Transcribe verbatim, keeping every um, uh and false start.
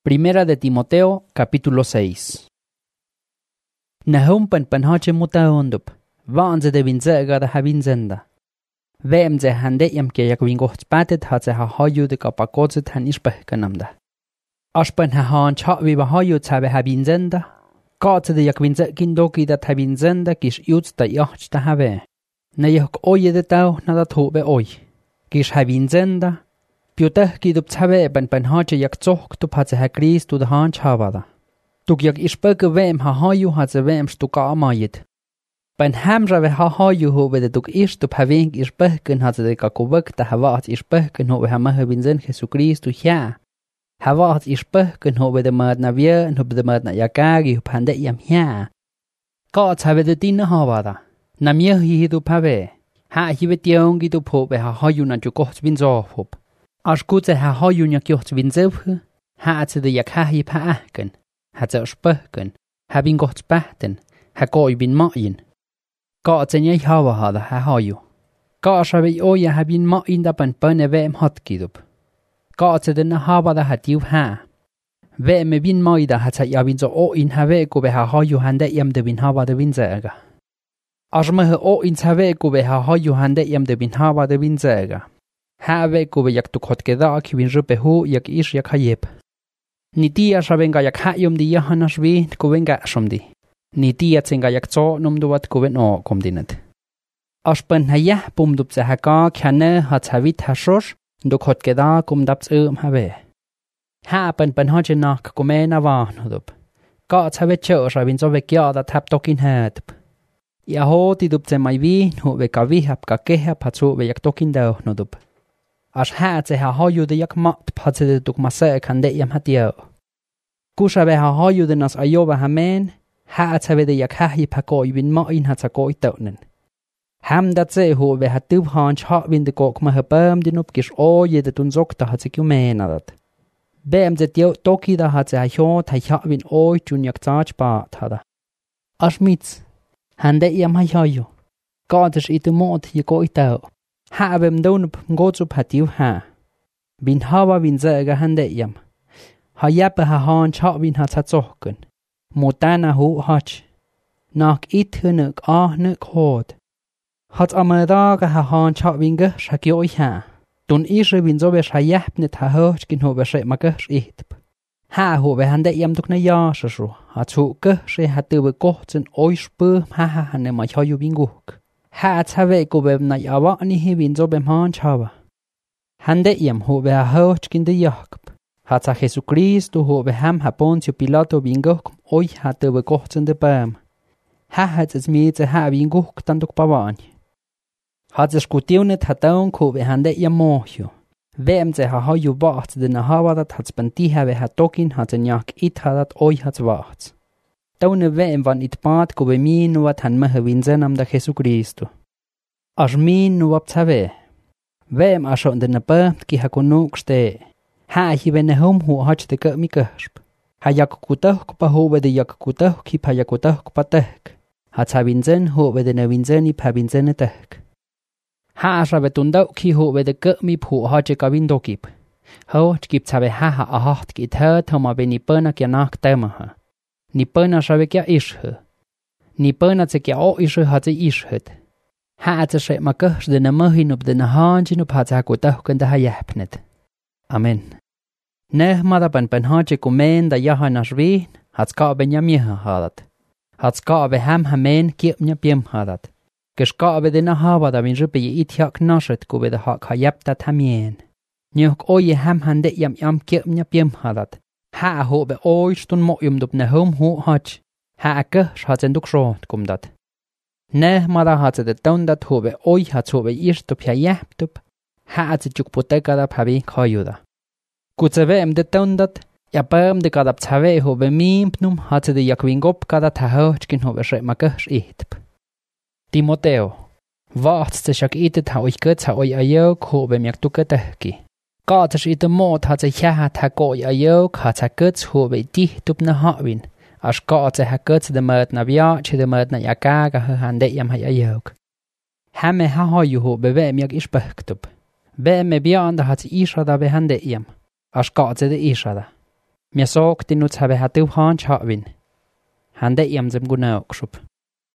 Primera de Timoteo, capítulo seis. Nahumpan panhache mutaondup, vaanze de vinzega da havinzenda. Veemze hande yam ke yak wingoht patet hatze ha hayu de kapakozet han ispehkanamda. Ashpan ha han chavi ba hayu tsabe havinzenda. Kaatze de yak vinze kindoki dat havinzenda kish yuts da yacht da have. Na yak oye de tau na dat hobe oy. Kish havinzenda. Pioteh kidup tsabe ban panhache yak zok tu patze ha Christ tu da han chavada. Tuk yak ispeke veem ha hayu hatze veem stuka amayit. Ban hamra ve ha hayu hobe de tuk ish tu pavink ispehken hatze de kakubek da havaat ispehken hobe ha mahe vinzen Jesu Christu hia. Havaat ispehken hobe de maad na vie en hobe de maad na yakagi hop hande yam hia. Kaats have de tina havada. Nam yehi hidu pave. Ha hive tiongi tu hobe ha hayu na jukoht vinzo hop. As kutze ha hayu na kjocht vinzevhe. Ha atze de yak ha hip ha ahken. Ha ze spehken. Ha vingocht spehten. Ha goi bin maien. Kaats en jij hava hada ha hayu. Kaats have oye ha bin maien da ban bane veem hat kidup. Kaats de na hava da ha diu ha. Veem me bin maida ha ze ja vinzo o in ha veko be ha hayu hande yam de bin hava de vinzega. As me he o in ha veko be ha hayu hande yam de bin hava de vinzega. Ha veko be yak tu khot keda ki vin rupe hu yak ish yak hayep. Ni tia shavenga yak hayum di yahanas vi ko venga shomdi. Ni tia tsenga yak zo num duat ko ven o komdinet. Aspen ha yah bum dup ze ha ka khane hat havit ha shosh ndo khot keda kum daps um have. Ha pen pen ha jenak ko me na van hudup. Ka tsave cho shavin zo vekya da tap tokin hat. Ya ho ti dup ze mai vi hu ve ka vi hap ka ke ha patsu ve yak tokin da nudup. As ha ze ha hayu de yak mat patse de tuk mase kan de yam hatio. Kusha ve ha hayu de nas ayoba hamen, ha tsave de yak ha hi pako ibin ma in hat ko itaunen. Ham dat ze ho ve hat tub han cha vin de kok ma habam din up kish o ye de tun zok da hat ze kumena dat. Bem ze tio toki da hat ze ha ho ta ha vin o tun yak tsach ba tada. As mitz hande yam ha hayu. Gadish it mod ye ko itau. Ha vem donup ngozu patiu ha. Bin hava vin zega hande yam. Ha yappe ha han cha vin hat hatzoken. Motana hu hach. Nak it hunuk ah nuk hod. Hat amadaga ha han cha vin ge shakyo ha. Dun ishe vin zo besh ha yapnet ha hoch kin ho besh magesh itp. Ha ho ve hande yam duk na yashu. Ha zu ge she hat de gochten oi spu ha ha hane ma chayu vin guk. Ha tsave ko bem na yawa ni he vin zo bem han chava. Hande yam ho be ha hoch kin de Jakob. Ha tsa Jesu Christu ho be ham ha Poncio Pilato vin gok oi hat de gochten de bam. Ha hat es mi ze ha vin gok tan duk pavan. Hat es gutiunet hat down ko be hande yam mohyo. Vem ze ha ha yu wacht de na hava dat hat spenti have ha tokin hat en yak it hat oi hat wacht. Taune veem van it paat ko be mi nu wat han mehe vinzenam da Jesu Christu. As mi nu wap tsave. Veem asho de na pa ki ha konuk ste. Ha hi vene hom hu hach de ke mi kesp. Ha yak kutah ko pa hobe de yak kutah ki pa yak kutah ko pa tek. Ha tsa vinzen hobe de na vinzeni pa vinzene tek. Ha asha vetunda ki hobe de ke mi pu hach ka vindokip. Ho skip tsave ha ha ahat ki the thoma beni pena ki nak tema ha. Ni pena shave kya ishe. Ni pena tse kya o ishe hat ze ishet. Ha tse she makah de na mahin up de na hanjin up hat ha ko ta kan da yapnet. Amen. Ne mada ban ban haje kumen da yahan ashvi hat ska ben yam hadat. Hat ska be ham hamen kip nya piem hadat. Geska be de na hava da bin rupe it yak nashet ko be da hak hayap da tamien. Nyok oye ham hande yam yam kip nya piem hadat. Ha ho be oi stun mo yum dup na hom ho hach. Ha ke schatzen duk shot kum dat. Ne mada hat de down dat ho be oi hat ho be ist dup ja yap dup. Ha at juk poteka da pavi khayuda. Kutzeve em de down dat ya pam de kadap chave ho be mim pnum hat de yakwingop kada tha hoch kin ho be sche makesh itp. Timoteo. Wacht ze shak itet ha euch götz ha oi ayo ho be myak tuketeki. Gatas it mod hat sich ja hat go ja jo hat ha götz ho be di tup na havin. As gatas ha götz de mat na via che de mat na yakaga ha hande yam ha jo. Hame ha ha jo ho be ve myak ispektup. Ve me bia anda hat isha da be hande yam. As gatas de isha da. Mia sook ti nuts habe hatu haan chawin. Hande iam zem gunaukshub.